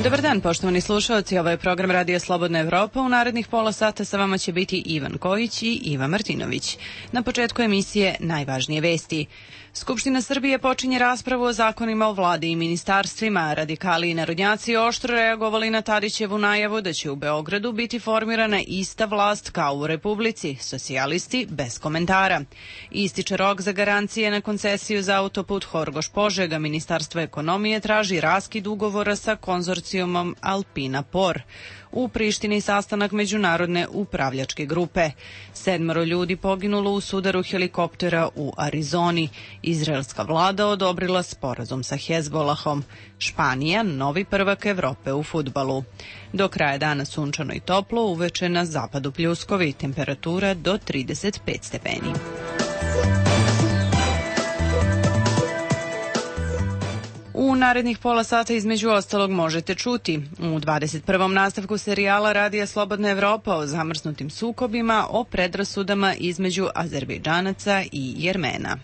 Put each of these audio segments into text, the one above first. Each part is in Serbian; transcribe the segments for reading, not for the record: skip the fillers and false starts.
Dobar dan, poštovani slušalci, ovo je program Radija Slobodna Evropa. U narednih pola sata sa vama će biti Ivan Kojić i Iva Martinović. Na početku emisije najvažnije vesti. Skupština Srbije počinje raspravu o zakonima o vladi i ministarstvima. Radikali i narodnjaci oštro reagovali na Tadićevu najavu da će u Beogradu biti formirana ista vlast kao u Republici, socijalisti bez komentara. Ističe rok za garancije na koncesiju za autoput Horgoš-Požega. Ministarstvo ekonomije traži raskid ugovora sa konzorcijumom Alpina Por. U Prištini sastanak međunarodne upravljačke grupe. 7 ljudi poginulo u sudaru helikoptera u Arizoni. Izraelska vlada odobrila sporazum sa Hezbolahom. Španija, novi prvak Evrope u fudbalu. Do kraja dana sunčano i toplo, uveče na zapadu pljuskovi, temperatura do 35 stepeni. U narednih pola sata između ostalog možete čuti u 21. nastavku serijala Radija Slobodna Evropa o zamrznutim sukobima, o predrasudama između Azerbejdžanaca i Jermena.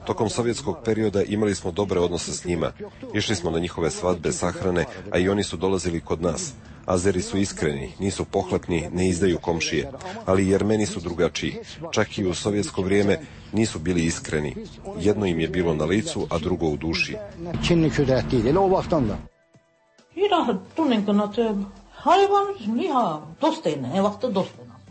Tokom sovjetskog perioda imali smo dobre odnose s njima. Išli smo na njihove svadbe, sahrane, a i oni su dolazili kod nas. Azeri su iskreni, nisu pohlepni, ne izdaju komšije, ali Jermeni su drugačiji. Čak i u sovjetsko vrijeme nisu bili iskreni. Jedno im je bilo na licu, a drugo u duši.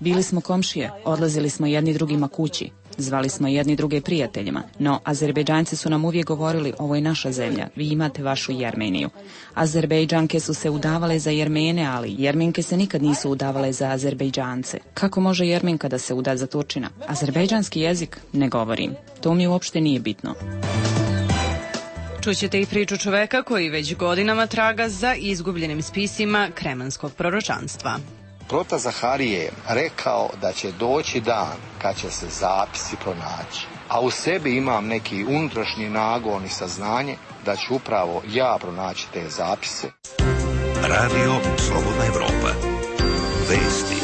Bili smo komšije, odlazili smo jedni drugima kući, zvali smo jedni druge prijateljima, no Azerbejdžanci su nam uvijek govorili, ovo je naša zemlja, vi imate vašu Jermeniju. Azerbejdžanke su se udavale za Jermene, ali Jermenke se nikad nisu udavale za Azerbejdžance. Kako može Jermenka da se uda za Turčina? Azerbejdžanski jezik ne govorim, to mi uopšte nije bitno. Čućete i priču čoveka koji već godinama traga za izgubljenim spisima kremanskog proročanstva. Prota Zaharije je rekao da će doći dan kad će se zapisi pronaći. A u sebi imam neki unutrašnji nagon i saznanje da ću upravo ja pronaći te zapise. Radio Slobodna Evropa. Vesti.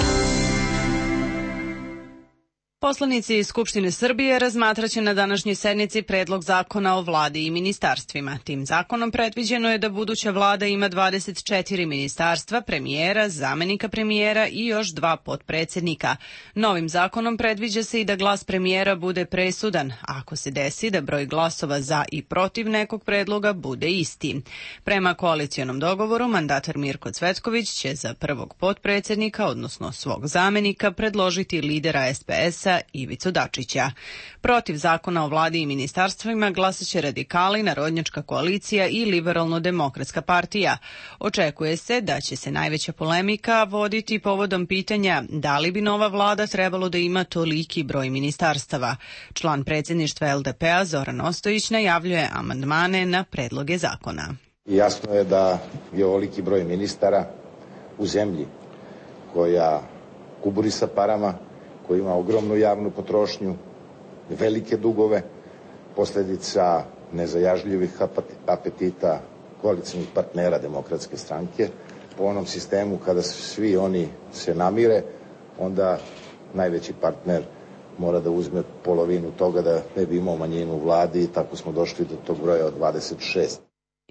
Poslanici Skupštine Srbije razmatraće na današnjoj sednici predlog zakona o vladi i ministarstvima. Tim zakonom predviđeno je da buduća vlada ima 24 ministarstva, premijera, zamenika premijera i još 2 potpredsednika. Novim zakonom predviđa se i da glas premijera bude presudan, ako se desi da broj glasova za i protiv nekog predloga bude isti. Prema koalicionom dogovoru, mandatar Mirko Cvetković će za prvog potpredsednika, odnosno svog zamenika, predložiti lidera SPS-a Ivicu Dačića. Protiv zakona o vladi i ministarstvima glasaće radikali, Narodnjačka koalicija i Liberalno-demokratska partija. Očekuje se da će se najveća polemika voditi povodom pitanja da li bi nova vlada trebalo da ima toliki broj ministarstava. Član predsjedništva LDP-a Zoran Ostojić najavljuje amandmane na predloge zakona. Jasno je da je ovoliki broj ministara u zemlji koja kuburi sa parama, koji ima ogromnu javnu potrošnju, velike dugove, posljedica nezajažljivih apetita koalicijnih partnera Demokratske stranke. Po onom sistemu kada svi oni se namire, onda najveći partner mora da uzme polovinu toga da ne bi imao manjinu u vladi i tako smo došli do tog broja od 26.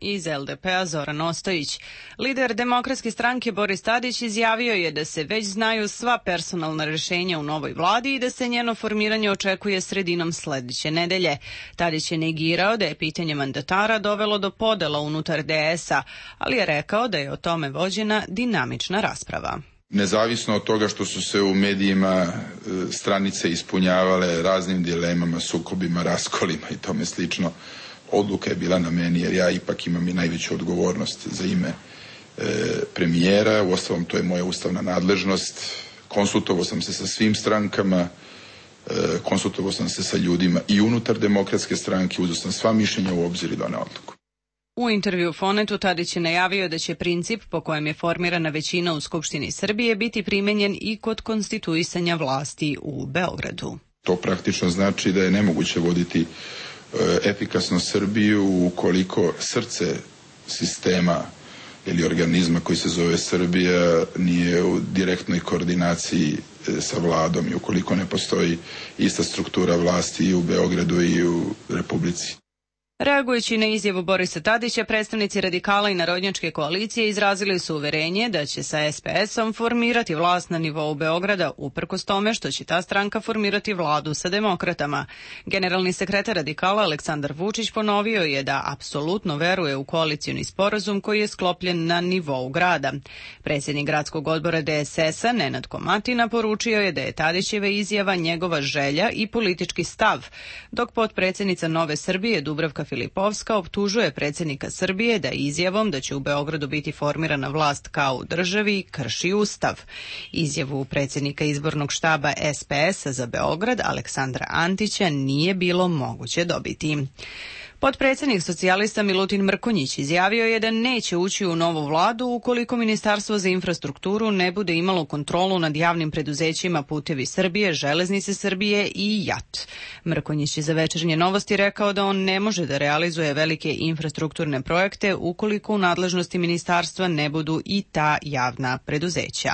Iz LDP-a Zoran Ostojić. Lider Demokratske stranke Boris Tadić izjavio je da se već znaju sva personalna rješenja u novoj vladi i da se njeno formiranje očekuje sredinom sledeće nedelje. Tadić je negirao da je pitanje mandatara dovelo do podela unutar DS-a, ali je rekao da je o tome vođena dinamična rasprava. Nezavisno od toga što su se u medijima stranice ispunjavale raznim dilemama, sukobima, raskolima i tome slično, odluka je bila na meni jer ja ipak imam i najveću odgovornost za ime premijera. Uostalom, to je moja ustavna nadležnost. Konsultovao sam se sa svim strankama, konsultovao sam se sa ljudima i unutar Demokratske stranke, uzeo sam sva mišljenja u obzir i doneo odluku. U intervju Fonetu Tadić je najavio da će princip po kojem je formirana većina u Skupštini Srbije biti primenjen i kod konstituisanja vlasti u Beogradu. To praktično znači da je nemoguće voditi efikasno Srbiju ukoliko srce sistema ili organizma koji se zove Srbija nije u direktnoj koordinaciji sa vladom i ukoliko ne postoji ista struktura vlasti i u Beogradu i u Republici. Reagujući na izjavu Borisa Tadića, predstavnici radikala i narodnjačke koalicije izrazili su uverenje da će sa SPS-om formirati vlast na nivou Beograda, uprkos tome što će ta stranka formirati vladu sa demokratama. Generalni sekretar radikala Aleksandar Vučić ponovio je da apsolutno veruje u koalicioni sporazum koji je sklopljen na nivou grada. Predsjednik gradskog odbora DSS-a Nenad Komatina poručio je da je Tadićeva izjava njegova želja i politički stav, dok potpredsjednica Nove Srbije Dubravka Filipovska optužuje predsjednika Srbije da izjavom da će u Beogradu biti formirana vlast kao u državi krši Ustav. Izjavu predsjednika izbornog štaba SPS-a za Beograd Aleksandra Antića nije bilo moguće dobiti. Potpredsjednik socijalista Milutin Mrkonjić izjavio je da neće ući u novu vladu ukoliko Ministarstvo za infrastrukturu ne bude imalo kontrolu nad javnim preduzećima Putevi Srbije, Železnice Srbije i JAT. Mrkonjić je za Večernje novosti rekao da on ne može da realizuje velike infrastrukturne projekte ukoliko u nadležnosti ministarstva ne budu i ta javna preduzeća.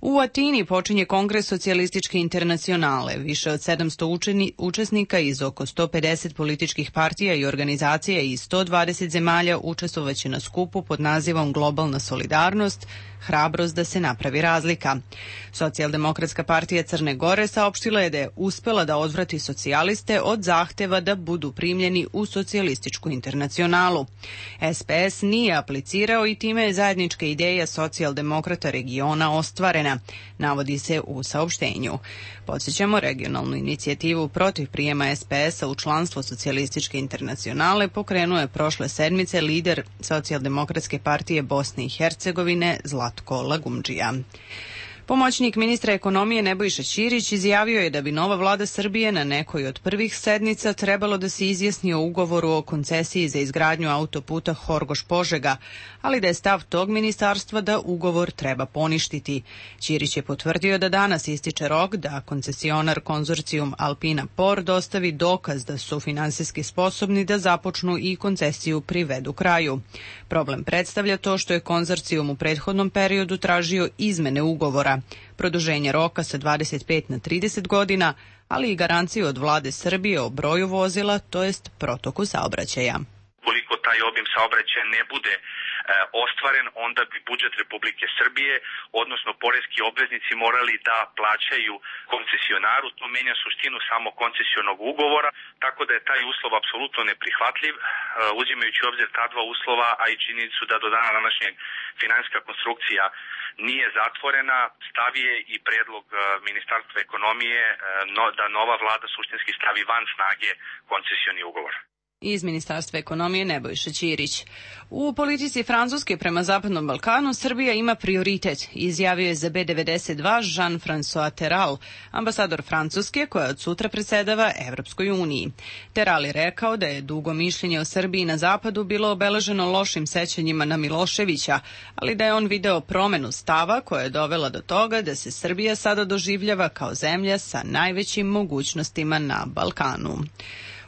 U Atini počinje Kongres socijalističke internacionale. Više od 700 učesnika iz oko 150 političkih partija i organizacija iz 120 zemalja učestvovaće na skupu pod nazivom Globalna solidarnost, hrabrost da se napravi razlika. Socijaldemokratska partija Crne Gore saopštila je da je uspela da odvrati socijaliste od zahteva da budu primljeni u socijalističku internacionalu. SPS nije aplicirao i time je zajednička ideja socijaldemokrata regiona ostvarena, navodi se u saopštenju. Podsjećamo, regionalnu inicijativu protiv prijema SPS-a u članstvo socijalističke internacionale pokrenuo je prošle sedmice lider Socijaldemokratske partije Bosne i Hercegovine Zlatko Lagumdžija. Pomoćnik ministra ekonomije Nebojša Ćirić izjavio je da bi nova vlada Srbije na nekoj od prvih sednica trebalo da se izjasni o ugovoru o koncesiji za izgradnju autoputa Horgoš-Požega, ali da je stav tog ministarstva da ugovor treba poništiti. Ćirić je potvrdio da danas ističe rok da koncesionar konzorcijum Alpina Por dostavi dokaz da su finansijski sposobni da započnu i koncesiju privedu kraju. Problem predstavlja to što je konzorcijum u prethodnom periodu tražio izmene ugovora, produženje roka sa 25 na 30 godina, ali i garanciju od vlade Srbije o broju vozila, to jest protoku saobraćaja. Ukoliko taj obim saobraćaja ne bude ostvaren, onda bi budžet Republike Srbije, odnosno poreski obveznici, morali da plaćaju koncesionaru. To menja suštinu samo koncesionog ugovora, tako da je taj uslov apsolutno neprihvatljiv. Uzimajući u obzir ta dva uslova, a i činjenicu da do dana današnjeg finansijska konstrukcija nije zatvorena, stav je i predlog Ministarstva ekonomije da nova vlada suštinski stavi van snage koncesioni ugovor. Iz Ministarstva ekonomije Nebojša Ćirić. U politici Francuske prema Zapadnom Balkanu Srbija ima prioritet, izjavio je za B92 Jean-François Terral, ambasador Francuske koja od sutra predsedava Evropskoj uniji. Terral je rekao da je dugo mišljenje o Srbiji na zapadu bilo obeleženo lošim sećanjima na Miloševića, ali da je on video promenu stava koja je dovela do toga da se Srbija sada doživljava kao zemlja sa najvećim mogućnostima na Balkanu.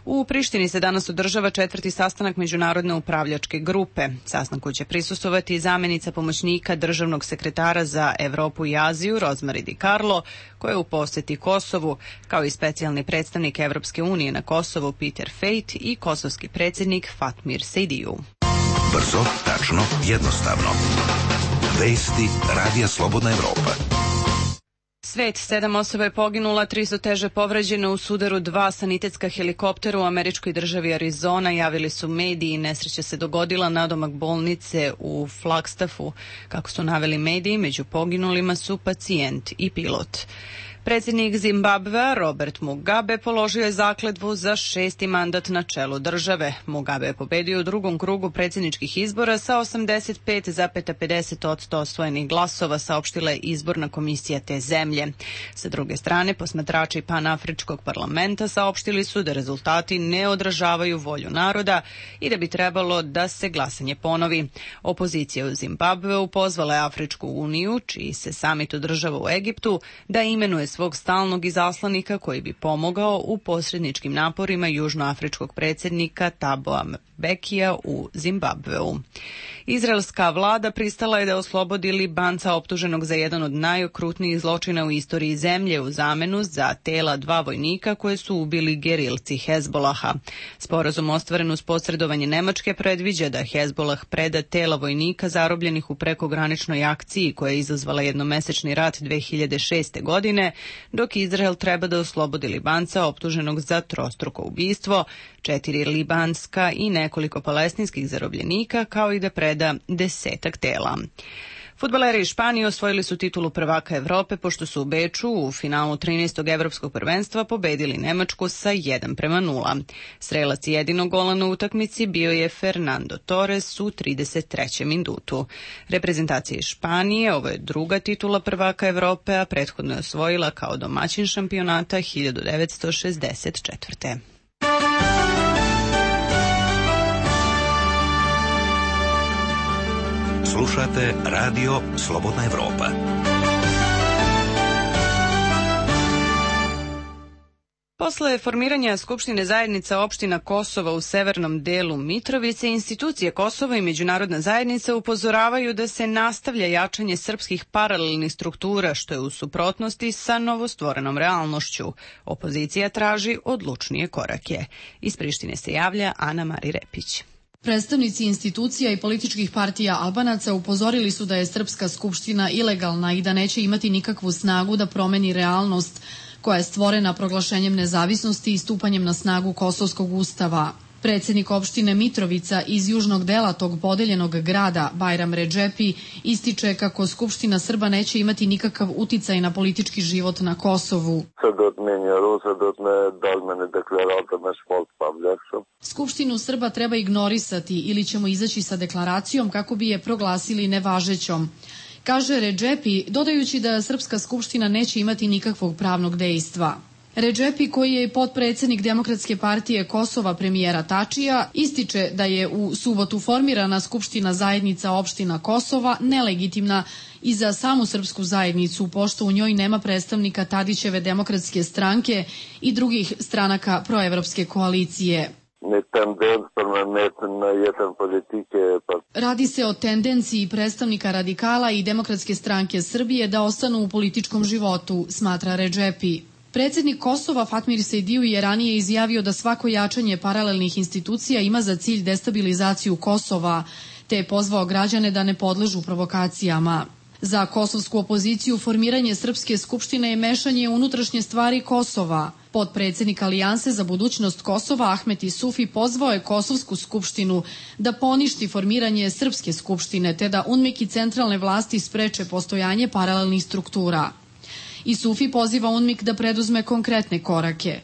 U Prištini se danas održava 4. sastanak Međunarodne upravljačke grupe. Sastanku će prisustvovati zamenica pomoćnika državnog sekretara za Evropu i Aziju Rozmari Di Carlo, koja je u poseti Kosovu, kao i specijalni predstavnik Evropske unije na Kosovu Peter Fejt i kosovski predsjednik Fatmir Sejdiju. Brzo, tačno, jednostavno. Vesti Radija Slobodna Evropa. Svet, 7 osoba je poginula, 3 su teže povređene u sudaru 2 sanitetska helikoptera u američkoj državi Arizona, javili su mediji. Nesreća se dogodila nadomak bolnice u Flagstaffu. Kako su naveli mediji, među poginulima su pacijent i pilot. Predsjednik Zimbabvea Robert Mugabe položio je zakletvu za 6. mandat na čelu države. Mugabe je pobedio u drugom krugu predsjedničkih izbora sa 85,50% osvojenih glasova, saopštila je izborna komisija te zemlje. Sa druge strane, posmatrači Panafričkog parlamenta saopštili su da rezultati ne odražavaju volju naroda i da bi trebalo da se glasanje ponovi. Opozicija u Zimbabveu pozvala je Afričku uniju, čiji se samit održava u Egiptu, da imenuje svog stalnog izaslanika koji bi pomogao u posredničkim naporima južnoafričkog predsjednika Taboa Mbekija u Zimbabveu. Izraelska vlada pristala je da oslobodi Libanca optuženog za jedan od najokrutnijih zločina u istoriji zemlje u zamenu za tela 2 vojnika koje su ubili gerilci Hezbolaha. Sporazum ostvaren uz posredovanje Nemačke predviđa da Hezbolah preda tela vojnika zarobljenih u prekograničnoj akciji koja je izazvala jednomesečni rat 2006. godine, dok Izrael treba da oslobodi Libanca optuženog za trostruko ubistvo, 4 libanska i nekoliko palestinskih zarobljenika, kao i da preda 10 tela. Fudbaleri iz Španije osvojili su titulu prvaka Evrope pošto su u Beču u finalu 13. evropskog prvenstva pobedili Nemačku sa 1:0. Strelac jedinog gola na utakmici bio je Fernando Torres u 33. minutu. Reprezentacija iz Španije, ovo je druga titula prvaka Evrope, a prethodno je osvojila kao domaćin šampionata 1964. Slušate Radio Slobodna Evropa. Posle formiranja Skupštine zajednica opština Kosova u severnom delu Mitrovice, institucije Kosova i međunarodna zajednica upozoravaju da se nastavlja jačanje srpskih paralelnih struktura, što je u suprotnosti sa novostvorenom realnošću. Opozicija traži odlučnije korake. Iz Prištine se javlja Ana Mari Repić. Predstavnici institucija i političkih partija Albanaca upozorili su da je Srpska skupština ilegalna i da neće imati nikakvu snagu da promeni realnost koja je stvorena proglašenjem nezavisnosti i stupanjem na snagu Kosovskog ustava. Predsednik opštine Mitrovica iz južnog dela tog podeljenog grada, Bajram Redžepi, ističe kako Skupština Srba neće imati nikakav uticaj na politički život na Kosovu. Skupštinu Srba treba ignorisati ili ćemo izaći sa deklaracijom kako bi je proglasili nevažećom, kaže Redžepi, dodajući da Srpska skupština neće imati nikakvog pravnog dejstva. Redžepi, koji je potpredsednik Demokratske partije Kosova premijera Tačija, ističe da je u subotu formirana Skupština zajednica opština Kosova nelegitimna i za samu srpsku zajednicu, pošto u njoj nema predstavnika Tadićeve Demokratske stranke i drugih stranaka proevropske koalicije. Radi se o tendenciji predstavnika radikala i Demokratske stranke Srbije da ostanu u političkom životu, smatra Redžepi. Predsednik Kosova Fatmir Sejdiju je ranije izjavio da svako jačanje paralelnih institucija ima za cilj destabilizaciju Kosova, te je pozvao građane da ne podležu provokacijama. Za kosovsku opoziciju formiranje Srpske skupštine je mešanje unutrašnje stvari Kosova. Potpredsednik Alijanse za budućnost Kosova Ahmet Isufi pozvao je Kosovsku skupštinu da poništi formiranje Srpske skupštine te da UNMIK i centralne vlasti spreče postojanje paralelnih struktura. Isufi poziva UNMIK da preduzme konkretne korake.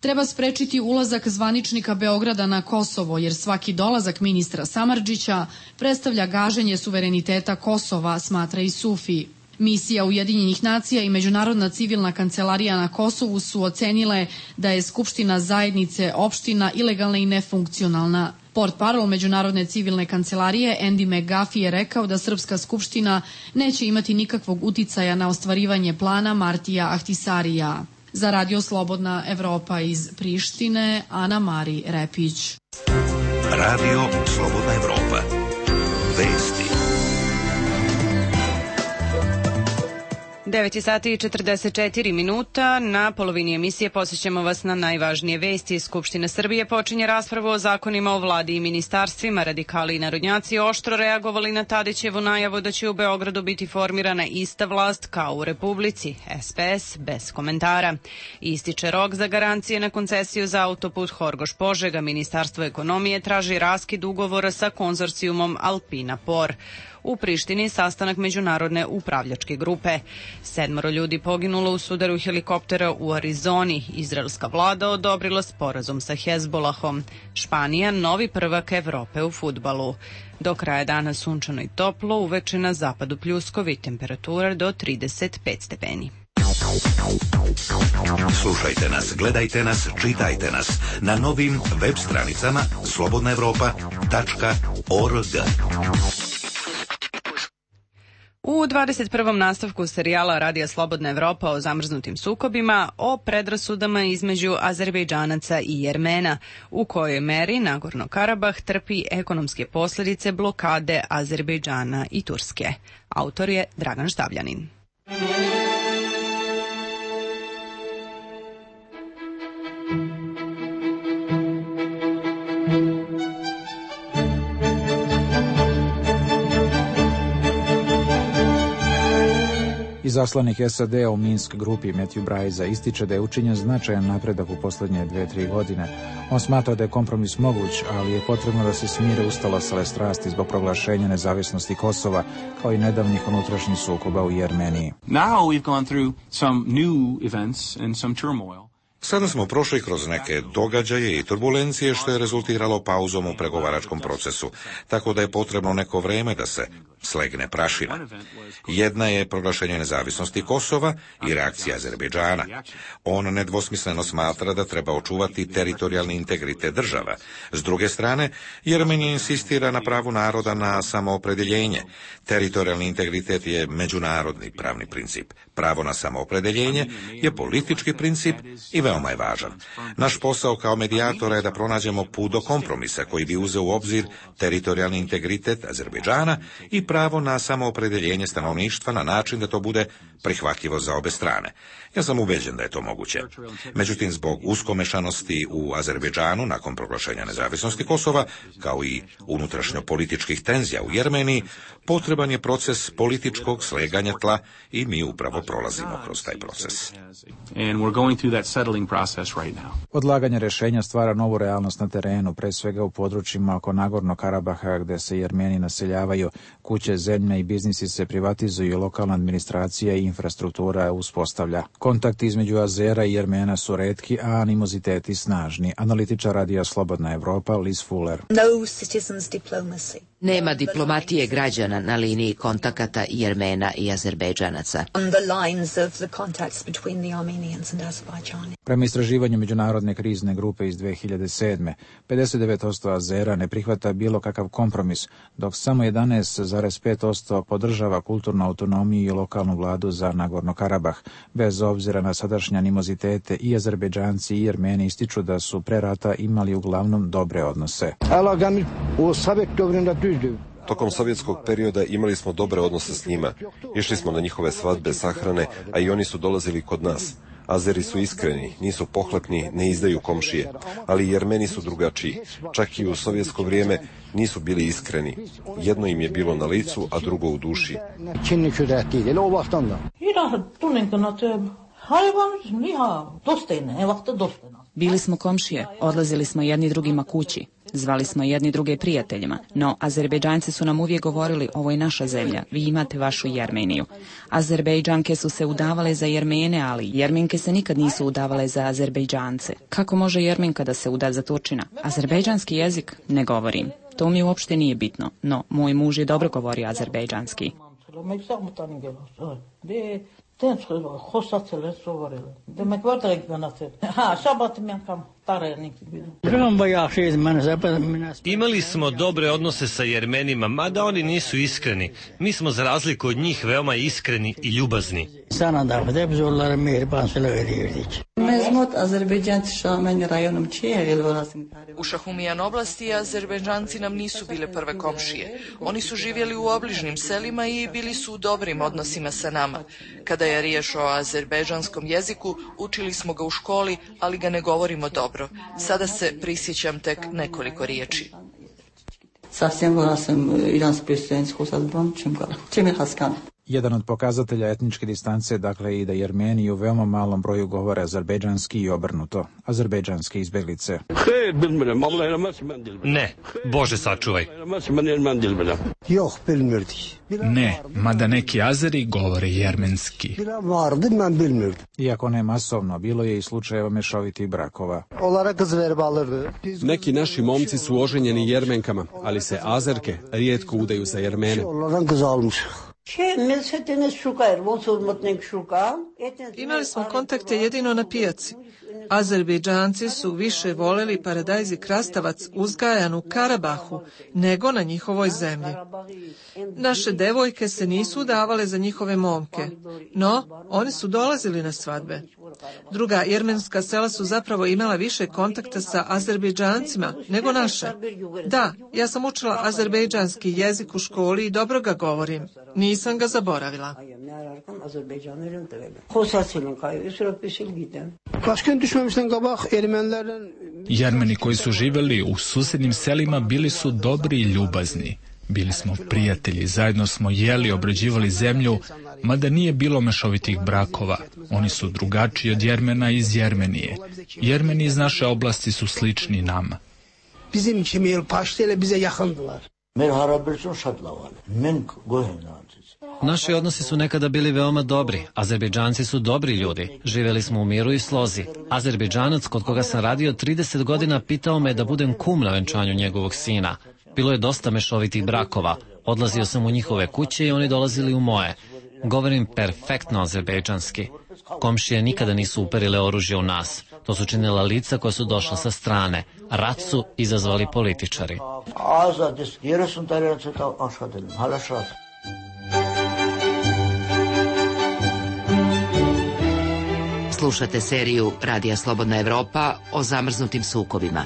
Treba sprečiti ulazak zvaničnika Beograda na Kosovo, jer svaki dolazak ministra Samardžića predstavlja gaženje suvereniteta Kosova, smatra Isufi. Misija Ujedinjenih nacija i Međunarodna civilna kancelarija na Kosovu su ocenile da je Skupština zajednice opština ilegalna i nefunkcionalna. Portparol Međunarodne civilne kancelarije Andy McGuffey je rekao da Srpska skupština neće imati nikakvog uticaja na ostvarivanje plana Martija Ahtisarija. Za Radio Slobodna Evropa iz Prištine, Ana Mari Repić. Radio Slobodna Evropa. Vesti. 9:44. Na polovini emisije posjećamo vas na najvažnije vesti. Skupština Srbije počinje raspravu o zakonima o vladi i ministarstvima. Radikali i narodnjaci oštro reagovali na Tadićevu najavu da će u Beogradu biti formirana ista vlast kao u Republici. SPS bez komentara. Ističe rok za garancije na koncesiju za autoput Horgoš-Požega. Ministarstvo ekonomije traži raskid ugovora sa konzorcijumom Alpina Por. U Prištini sastanak međunarodne upravljačke grupe. 7 ljudi poginulo u sudaru helikoptera u Arizoni. Izraelska vlada odobrila sporazum sa Hezbolahom. Španija novi prvak Evrope u fudbalu. Do kraja dana sunčano i toplo, uveče na zapadu pljuskovi, temperatura do 35 stepeni. Slušajte nas, gledajte nas, čitajte nas na novim web stranicama slobodnaevropa.org. U 21. nastavku serijala Radija Slobodna Evropa o zamrznutim sukobima, o predrasudama između Azerbejdžanaca i Jermena, u kojoj meri Nagorno-Karabah trpi ekonomske posljedice blokade Azerbejdžana i Turske. Autor je Dragan Štavljanin. Izaslanik SAD-a u Minsk grupi Matthew Braiza ističe da je učinjen značajan napredak u posljednje 2-3 godine. On smatra da je kompromis moguć, ali je potrebno da se smire ustalosale strasti zbog proglašenja nezavisnosti Kosova, kao i nedavnih unutrašnjih sukoba u Jermeniji. Now we've gone through some new events and some turmoil. Sada smo prošli kroz neke događaje i turbulencije što je rezultiralo pauzom u pregovaračkom procesu, tako da je potrebno neko vreme da se slegne prašina. Jedna je proglašenje nezavisnosti Kosova i reakcija Azerbejdžana. On nedvosmisleno smatra da treba očuvati teritorijalni integritet država. S druge strane, Jermenija insistira na pravu naroda na samoopredeljenje. Teritorijalni integritet je međunarodni pravni princip. Pravo na samoopredeljenje je politički princip i veoma je važan. Naš posao kao medijatora je da pronađemo put do kompromisa koji bi uzeo u obzir teritorijalni integritet Azerbejdžana i pravo na samoopredeljenje stanovništva na način da to bude prihvatljivo za obe strane. Ja sam ubeđen da je to moguće. Međutim, zbog uskomešanosti u Azerbejdžanu nakon proglašenja nezavisnosti Kosova, kao i unutrašnjo političkih tenzija u Jermeniji, potreban je proces političkog sleganja tla i mi upravo prolazimo kroz taj proces. Odlaganje rješenja stvara novu realnost na terenu, pre svega u područjima oko Nagorno-Karabaha gde se Jermeni naseljavaju, kuće, zemlje i biznisi se privatizuju, lokalna administracija i infrastruktura uspostavlja. Kontakti između Azera i Jermena su retki, a animoziteti snažni. Analitičar Radija Slobodna Evropa Liz Fuller. Nema diplomatije građana na liniji kontakata Jermena i Azerbejdžanaca. Prema istraživanju Međunarodne krizne grupe iz 2007. 59% Azera ne prihvata bilo kakav kompromis, dok samo 11,5% podržava kulturnu autonomiju i lokalnu vladu za Nagorno-Karabah. Bez obzira na sadašnje animozitete, i Azerbejdžanci i Jermeni ističu da su pre rata imali uglavnom dobre odnose. Tokom sovjetskog perioda imali smo dobre odnose s njima. Išli smo na njihove svadbe, sahrane, a i oni su dolazili kod nas. Azeri su iskreni, nisu pohlepni, ne izdaju komšije, ali Jermeni su drugačiji. Čak i u sovjetsko vrijeme nisu bili iskreni. Jedno im je bilo na licu, a drugo u duši. Bili smo komšije, odlazili smo jedni drugima kući, zvali smo jedni druge prijateljima, no Azerbejdžanci su nam uvijek govorili, ovo je naša zemlja, vi imate vašu Jermeniju. Azerbejdžanke su se udavale za Jermene, ali Jermenke se nikad nisu udavale za Azerbejdžance. Kako može Jermenka da se uda za Turčina? Azerbejdžanski jezik ne govorim. To mi uopšte nije bitno, no moj muž je dobro govorio azerbejdžanski. Imali smo dobre odnose sa Jermenima, mada oni nisu iskreni. Mi smo za razliku od njih veoma iskreni i ljubazni. U Šahumijan oblasti Azerbejdžanci nam nisu bile prve komšije. Oni su živjeli u obližnim selima i bili su u dobrim odnosima sa nama. Kada je riječ o azerbejdžanskom jeziku, učili smo ga u školi, ali ga ne govorimo dobro. Sada se prisjećam tek nekoliko riječi. Jedan od pokazatelja etničke distance, dakle, i da Jermeni u veoma malom broju govore azerbejdžanski i obrnuto. Azerbejdžanske izbjeglice. Ne, Bože sačuvaj. Ne, mada neki Azeri govore jermenski. Iako ne masovno, bilo je i slučajeva mešovitih brakova. Neki naši momci su oženjeni Jermenkama, ali se Azerke rijetko udaju za Jermene. Imali smo kontakte jedino na pijaci. Azerbejdžanci su više voljeli paradajz i krastavac uzgajan u Karabahu nego na njihovoj zemlji. Naše devojke se nisu udavale za njihove momke, no oni su dolazili na svadbe. Druga jermenska sela su zapravo imala više kontakta sa Azerbejdžancima nego naše. Da, ja sam učila azerbejdžanski jezik u školi i dobro ga govorim. Nisam ga zaboravila. Jermeni koji su živjeli u susjednim selima bili su dobri i ljubazni. Bili smo prijatelji, zajedno smo jeli, obrađivali zemlju, mada nije bilo mešovitih brakova. Oni su drugačiji od Jermena iz Jermenije. Jermeni iz naše oblasti su slični nama. Naši odnosi su nekada bili veoma dobri. Azerbejdžanci su dobri ljudi. Živjeli smo u miru i slozi. Azerbejdžanac kod koga sam radio 30 godina pitao me da budem kum na venčanju njegovog sina. Bilo je dosta mešovitih brakova. Odlazio sam u njihove kuće i oni dolazili u moje. Govorim perfektno azerbejdžanski. Komšije nikada nisu uperile oružje u nas. To su činila lica koja su došla sa strane. Rat su izazvali političari. Slušate seriju Radija Slobodna Evropa o zamrznutim sukobima.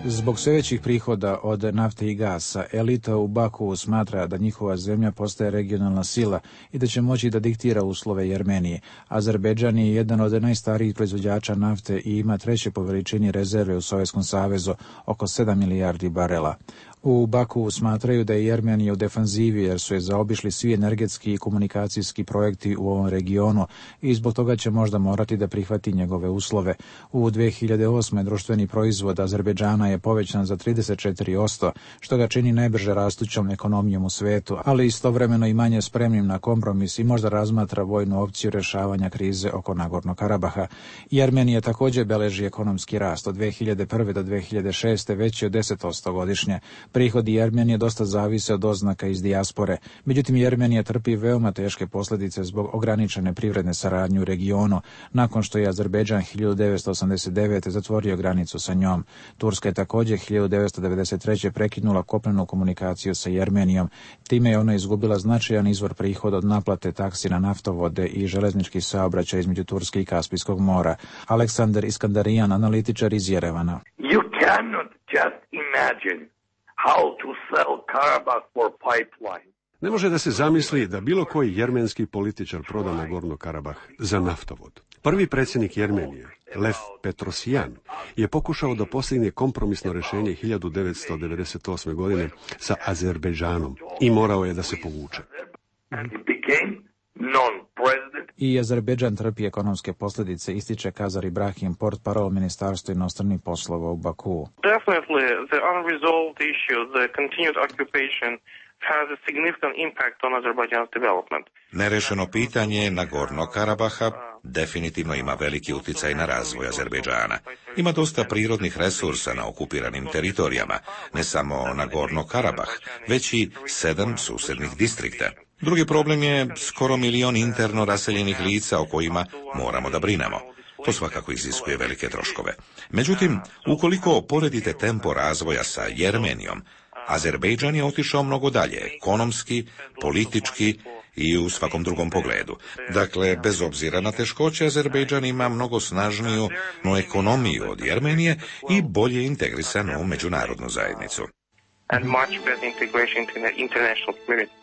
Zbog sve većih prihoda od nafte i gasa, elita u Baku smatra da njihova zemlja postaje regionalna sila i da će moći da diktira uslove Jermenije. Azerbejdžan je jedan od najstarijih proizvođača nafte i ima treće po veličini rezerve u Sovjetskom savezu, oko 7 milijardi barela. U Baku smatraju da je Jermenija u defanzivi jer su je zaobišli svi energetski i komunikacijski projekti u ovom regionu i zbog toga će možda morati da prihvati njegove uslove. U 2008. društveni proizvod Azerbejdžana je povećan za 34%, što ga čini najbrže rastućom ekonomijom u svetu, ali istovremeno i manje spremnim na kompromis i možda razmatra vojnu opciju rješavanja krize oko Nagorno Karabaha. Jermenija također beleži ekonomski rast od 2001. do 2006. veći od 10% godišnje. Prihodi Jermenije dosta zavise od oznaka iz dijaspore. Međutim, Jermenija trpi veoma teške posljedice zbog ograničene privredne saradnje u regionu, nakon što je Azerbejdžan 1989. zatvorio granicu sa njom. Turska je također 1993. prekinula kopnenu komunikaciju sa Jermenijom. Time je ona izgubila značajan izvor prihoda od naplate taksi na naftovode i železnički saobraćaj između Turske i Kaspijskog mora. Aleksandar Iskandarijan, analitičar iz Jerevana. You cannot just imagine how to sell Karabakh for pipeline. Ne može da se zamisli da bilo koji jermenski političar proda Nagorno Karabah za naftovod. Prvi predsjednik Jermenije, Lev Petrosjan, je pokušao da postigne kompromisno rješenje 1998. godine sa Azerbejdžanom i morao je da se povuče. I Azerbejdžan trpi ekonomske posljedice, ističe Kazar Ibrahim, portparol Ministarstva inostranih poslova u Baku. Definitely the unresolved issue, the continued occupation has a significant impact on Azerbaijan's development. Nerešeno pitanje Nagorno Karabaha definitivno ima veliki utjecaj na razvoj Azerbejdžana. Ima dosta prirodnih resursa na okupiranim teritorijama, ne samo Nagorno Karabah, već i 7 susjednih distrikta. Drugi problem je skoro 1 milion interno raseljenih lica o kojima moramo da brinemo. To svakako iziskuje velike troškove. Međutim, ukoliko poredite tempo razvoja sa Jermenijom, Azerbejdžan je otišao mnogo dalje, ekonomski, politički i u svakom drugom pogledu. Dakle, bez obzira na teškoće, Azerbejdžan ima mnogo snažniju ekonomiju od Jermenije i bolje integrisanu u međunarodnu zajednicu. And much better integration into the international community.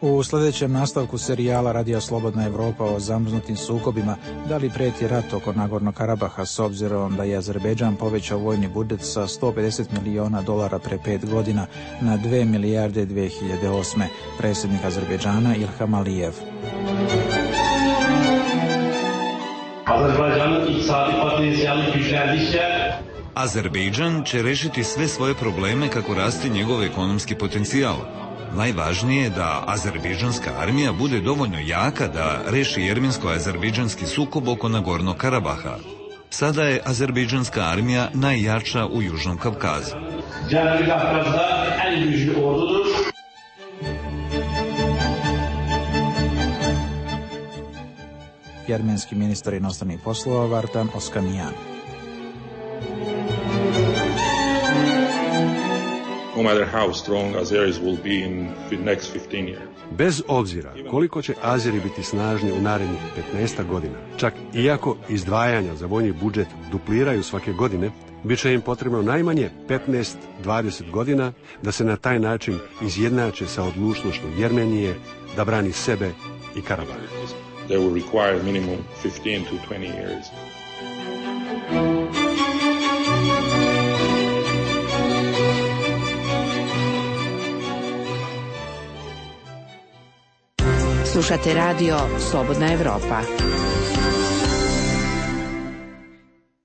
U sljedećem nastavku serijala Radija Slobodna Evropa o zamrznutim sukobima, da li prijeti rat oko Nagorno Karabaha s obzirom da je Azerbejdžan povećao vojni budžet sa $150 miliona pre 5 godina na 2 milijarde 2008. Predsjednik Azerbejdžana Ilham Aliyev. Azerbejdžan će rešiti sve svoje probleme kako raste njegov ekonomski potencijal. Najvažnije je da azerbejdžanska armija bude dovoljno jaka da reši jermensko-azerbejdžanski sukob oko Nagorno Karabaha. Sada je azerbejdžanska armija najjača u Južnom Kavkazu. Jermenski ministar inostranih poslova Vartan Oskamijan. No matter how strong Azeris will be in the next 15 years. Bez obzira koliko će Azeri biti snažni u narednih 15 godina, čak iako izdvajanja za vojni budžet dupliraju svake godine, bit će im potrebno najmanje 15-20 godina da se na taj način izjednače sa odlučnošću Jermenije da brani sebe i Karabah. They will require minimum 15 to 20 years. Slušate radio Slobodna Evropa.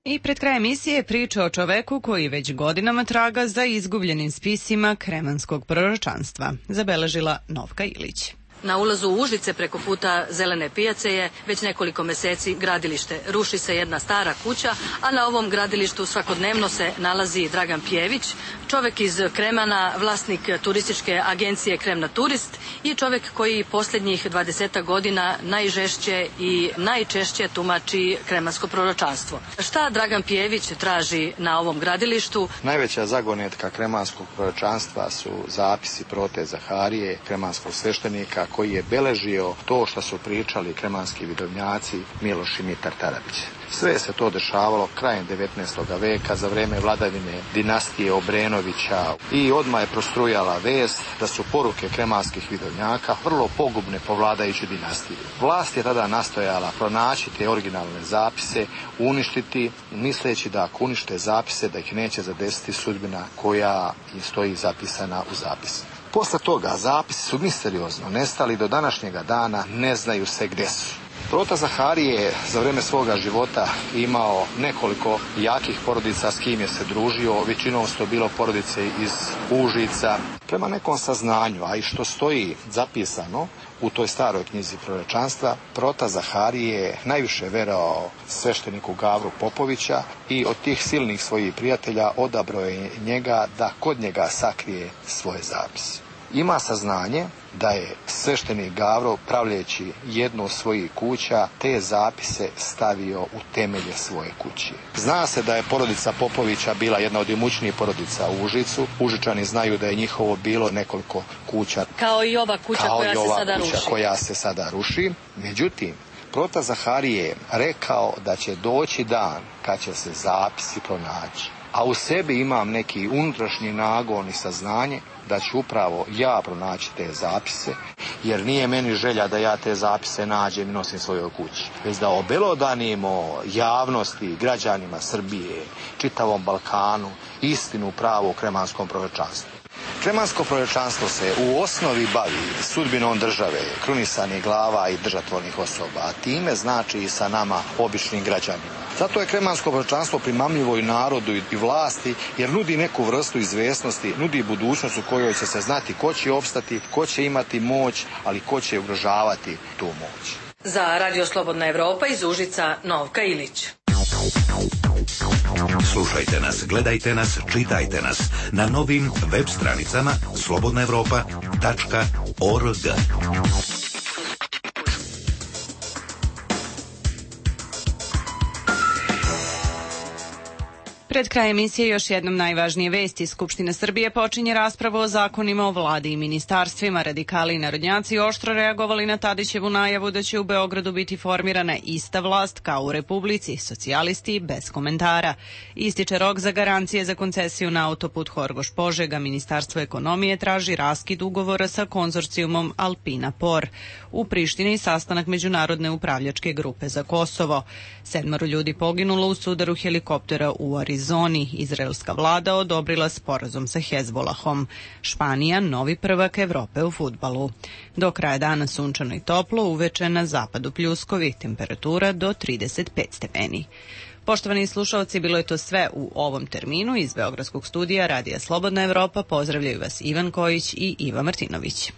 I pred krajem emisije priča o čoveku koji već godinama traga za izgubljenim spisima kremanskog proročanstva, zabeležila Novka Ilić. Na ulazu u Užice preko puta Zelene pijace je već nekoliko meseci gradilište. Ruši se jedna stara kuća, a na ovom gradilištu svakodnevno se nalazi Dragan Pjević, čovek iz Kremana, vlasnik turističke agencije Kremna Turist i čovek koji posljednjih 20 godina najžešće i najčešće tumači kremansko proročanstvo. Šta Dragan Pjević traži na ovom gradilištu? Najveća zagonetka kremanskog proročanstva su zapisi prote Zaharije, kremanskog sveštenika, koji je beležio to što su pričali kremanski vidovnjaci Miloš i Mitar Tarabić. Sve se to dešavalo krajem 19. veka za vreme vladavine dinastije Obrenovića i odmah je prostrujala vest da su poruke kremanskih vidovnjaka vrlo pogubne po vladajućoj dinastiji. Vlast je tada nastojala pronaći te originalne zapise, uništiti, misleći da ako unište zapise da ih neće zadesiti sudbina koja im stoji zapisana u zapisu. Posle toga zapisi su misteriozno nestali, do današnjega dana ne znaju se gde su. Prota Zaharije je za vreme svoga života imao nekoliko jakih porodica s kim je se družio, većinom su to bilo porodice iz Užica. Prema nekom saznanju, a i što stoji zapisano u toj staroj knjizi proročanstva, Prota Zaharije je najviše verovao svešteniku Gavru Popovića i od tih silnih svojih prijatelja odabrao je njega da kod njega sakrije svoje zapise. Ima saznanje da je sveštenik Gavro, pravljeći jednu od svojih kuća, te zapise stavio u temelje svoje kuće. Zna se da je porodica Popovića bila jedna od imućnijih porodica u Užicu. Užičani znaju da je njihovo bilo nekoliko kuća. Kao i ova kuća koja se sada ruši. Međutim, Prota Zaharije je rekao da će doći dan kad će se zapisi pronaći. A u sebi imam neki unutrašnji nagon i saznanje da ću upravo ja pronaći te zapise, jer nije meni želja da ja te zapise nađem i nosim svojoj kući, već da obelodanimo javnosti, građanima Srbije, čitavom Balkanu, istinu pravu o kremanskom proročanstvu. Kremansko proročanstvo se u osnovi bavi sudbinom države, krunisanih glava i držatvornih osoba, a time znači i sa nama, običnim građanima. Zato je kremansko proročanstvo primamljivo i narodu i vlasti, jer nudi neku vrstu izvesnosti, nudi budućnost u kojoj će se znati ko će opstati, ko će imati moć, ali ko će ugrožavati tu moć. Za Radio Slobodna Evropa iz Užica, Novka Ilić. Slušajte nas, gledajte nas, čitajte nas na novim web stranicama slobodnaevropa.org. Pred krajem emisije još jednom najvažnije vesti. Skupština Srbije počinje raspravu o zakonima o vladi i ministarstvima. Radikali i narodnjaci oštro reagovali na Tadićevu najavu da će u Beogradu biti formirana ista vlast kao u Republici, socijalisti bez komentara. Ističe rok za garancije za koncesiju na autoput Horgoš-Požega. Ministarstvo ekonomije traži raskid ugovora sa konzorcijumom Alpina Por. U Prištini sastanak Međunarodne upravljačke grupe za Kosovo. 7 ljudi poginulo u sudaru helikoptera u Arizoni. Izraelska vlada odobrila sporazum sa Hezbolahom. Španija, novi prvak Evrope u fudbalu. Do kraja dana sunčano i toplo, uveče na zapadu pljuskovi, temperatura do 35 stepeni. Poštovani slušalci, bilo je to sve u ovom terminu. Iz Beogradskog studija Radija Slobodna Evropa pozdravljaju vas Ivan Kojić i Iva Martinović.